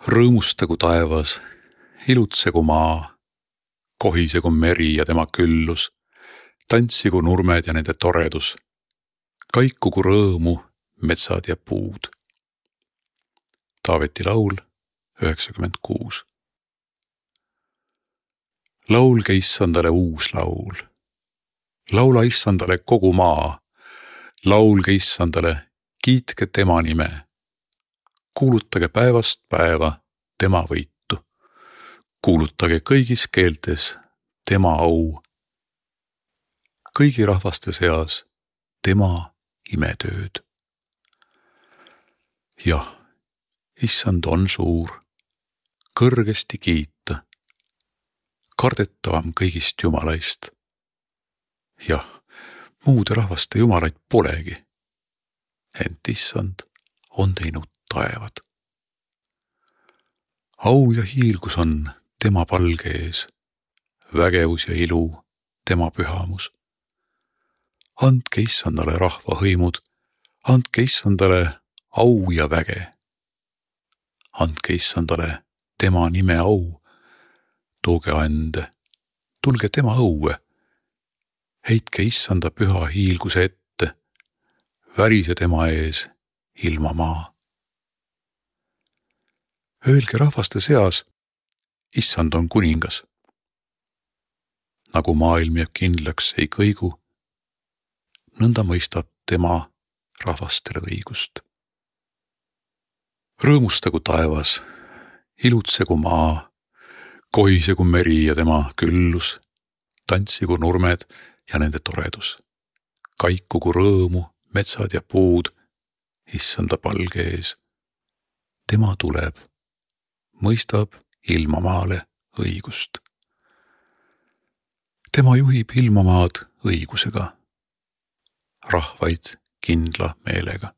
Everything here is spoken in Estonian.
Rõõmustagu taevas, ilutsegu maa, kohisegu meri ja tema küllus, tantsigu nurmed ja nende toredus, kaikugu rõõmu metsad ja puud. Taaveti laul 96. Laulge issandale uus laul. Laula issandale kogu maa. Laulge issandale, kiitke tema nime. Kuulutage päevast päeva tema võitu. Kuulutage kõigis keeltes tema au. Kõigi rahvaste seas tema imetööd. Jah, issand on suur, kõrgesti kiita, kardetavam kõigist jumalaist. Jah, muude rahvaste jumalaid polegi, ent issand on teinud taevad. Au ja hiilgus on tema palge ees, vägevus ja ilu tema pühamus. Andke issandale rahva hõimud, andke issandale au ja väge. Andke issandale tema nime au, tooge ande, tulge tema õue, heitke issanda püha hiilguse ette, värise tema ees ilma maa. Öelge rahvaste seas, issand on kuningas. Nagu maailm jääb kindlaks ei kõigu, nõnda mõistab tema rahvastele õigust. Rõõmustagu taevas, ilutsegu maa, kohisegu meri ja tema küllus, tantsigu nurmed ja nende toredus, kaikugu rõõmu metsad ja puud issanda palge ees. Tema tuleb, mõistab ilmamaale õigust. Tema juhib ilmamaad õigusega, rahvaid kindla meelega.